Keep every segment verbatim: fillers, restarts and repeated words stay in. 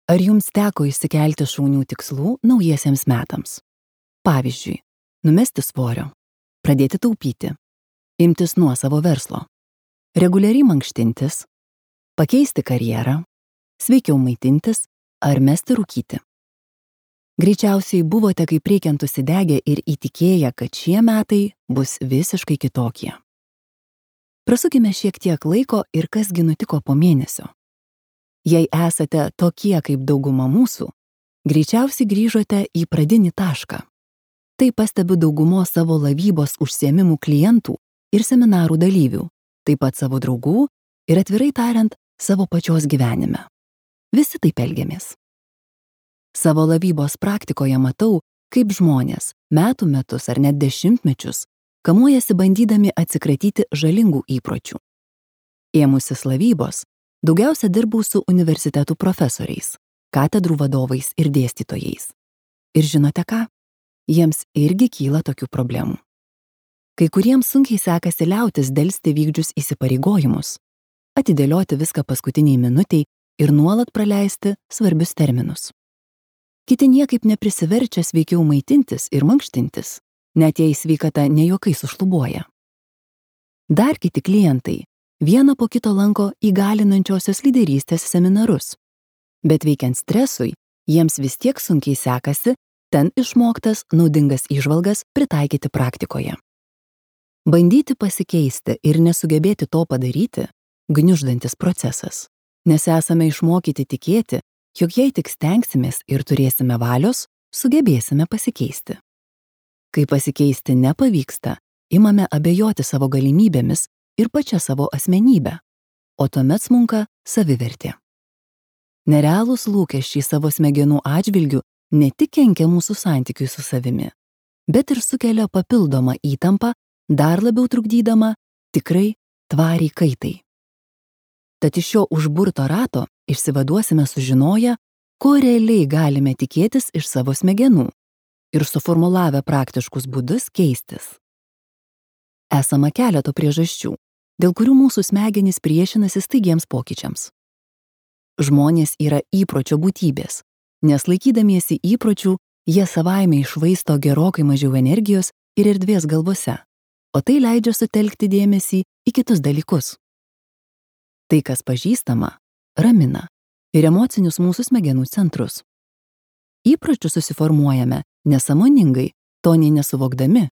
Ar jums teko išsikelti šaunių tikslų naujiesiems metams? Pavyzdžiui, numesti svorio, pradėti taupyti, imtis nuosavo verslo, reguliariai mankštintis, pakeisti karjerą, sveikiau maitintis ar mesti rūkyti. Greičiausiai buvote kaip reikiant užsidegę ir įtikėję, kad šie metai bus visiškai kitokie. Prasukime šiek tiek laiko ir kasgi nutiko po mėnesio. Jei esate tokie kaip dauguma mūsų, greičiausiai grįžote į pradinį tašką. Tai pastebiu daugumos savo laivybos užsiėmimų klientų ir seminarų dalyvių, taip pat savo draugų ir atvirai tariant savo pačios gyvenime. Visi taip elgiamės. Savo laivybos praktikoje matau, kaip žmonės metų metus ar net dešimtmečius kamuojasi bandydami atsikratyti žalingų įpročių. Ėmusis laivybos, daugiausia dirbau su universitetų profesoriais, katedrų vadovais ir dėstytojais. Ir žinote ką? Jiems irgi kyla tokių problemų. Kai kuriems sunkiai sekasi liautis delsti vykdžius įsipareigojimus, atidėlioti viską paskutiniai minutiai ir nuolat praleisti svarbius terminus. Kiti niekaip neprisiverčia sveikiau maitintis ir mankštintis, net jei sveikata ne juokais sušlubuoja. Dar kiti klientai vieną po kito lanko įgalinančiosios lyderystės seminarus, bet veikiant stresui, jiems vis tiek sunkiai sekasi ten išmoktas naudingas įžvalgas pritaikyti praktikoje. Bandyti pasikeisti ir nesugebėti to padaryti – gniuždantis procesas, nes esame išmokyti tikėti, jog jei tik stengsimės ir turėsime valios, sugebėsime pasikeisti. Kai pasikeisti nepavyksta, imame abejoti savo galimybėmis ir pačia savo asmenybę, o tuomet smunka savivertė. Nerealūs lūkesčiai savo smegenų atžvilgių ne tik kenkia mūsų santykiui su savimi, bet ir sukelia papildomą įtampą, dar labiau trukdydama tikrai tvariai kaitai. Tad iš šio užburto rato išsivaduosime sužinoję, ko realiai galime tikėtis iš savo smegenų ir suformulavę praktiškus būdus keistis. Esama keleto priežasčių, dėl kurių mūsų smegenys priešinasi staigiems pokyčiams. Žmonės yra įpročio būtybės, nes laikydamiesi įpročių, jie savaime iššvaisto gerokai mažiau energijos ir erdvės galvose, o tai leidžia sutelkti dėmesį į kitus dalykus. Tai, kas pažįstama, ramina ir emocinius mūsų smegenų centrus. Įpročius susiformuojame nesąmoningai, to nei nesuvokdami,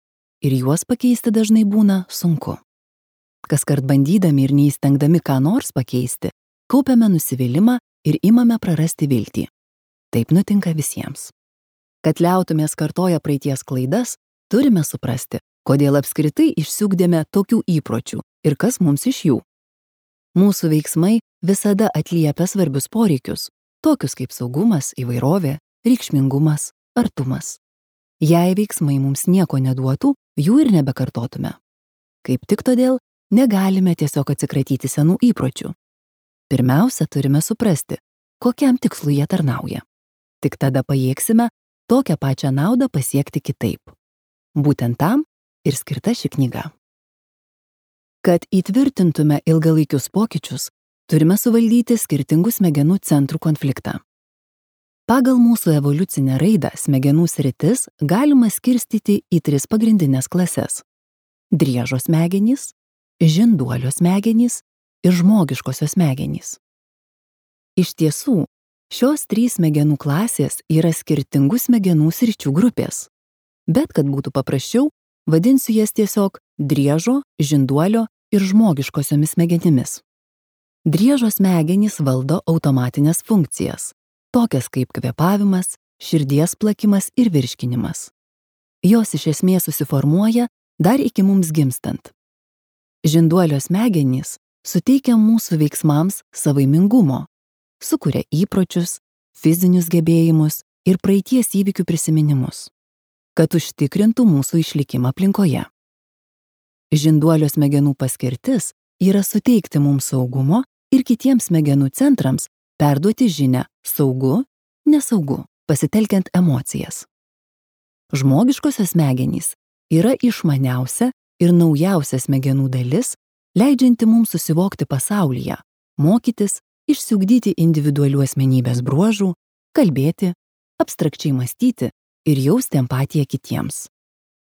ir juos pakeisti dažnai būna sunku. Kaskart bandydami ir neįstengdami ką nors pakeisti, kaupiame nusivylimą ir imame prarasti viltį. Taip nutinka visiems. Kad liautumės kartoję praeities klaidas, turime suprasti, kodėl apskritai išsiugdėme tokių įpročių ir kas mums iš jų. Mūsų veiksmai visada atliepia svarbius poreikius, tokius kaip saugumas, įvairovė, reikšmingumas, artumas. Jei veiksmai mums nieko neduotų, jų ir nebekartotume. Kaip tik todėl negalime tiesiog atsikratyti senų įpročių. Pirmiausia, turime suprasti, kokiam tikslui jie tarnauja. Tik tada pajėgsime tokią pačią naudą pasiekti kitaip. Būtent tam ir skirta ši knyga. Kad įtvirtintume ilgalaikius pokyčius, turime suvaldyti skirtingų smegenų centrų konfliktą. Pagal mūsų evoliucinę raidą smegenų sritis galima skirstyti į tris pagrindinės klases – driežo smegenys, žinduolio smegenys ir žmogiškosios smegenys. Iš tiesų, šios trys smegenų klasės yra skirtingų smegenų sričių grupės, bet kad būtų paprasčiau, vadinsiu jas tiesiog driežo, žinduolio ir žmogiškosiomis smegenimis. Driežo smegenys valdo automatinės funkcijas, tokias kaip kvėpavimas, širdies plakimas ir virškinimas. Jos iš esmės susiformuoja dar iki mums gimstant. Žinduolio smegenys suteikia mūsų veiksmams savaimingumo, sukuria įpročius, fizinius gebėjimus ir praeities įvykių prisiminimus, kad užtikrintų mūsų išlikimą aplinkoje. Žinduolio smegenų paskirtis yra suteikti mums saugumo ir kitiems smegenų centrams perduoti žinią saugu, nesaugu, pasitelkiant emocijas. Žmogiškosios smegenys yra išmaniausia ir naujausia smegenų dalis, leidžianti mums susivokti pasaulyje, mokytis, išsiugdyti individualių asmenybės bruožų, kalbėti, abstrakčiai mąstyti ir jausti empatiją kitiems.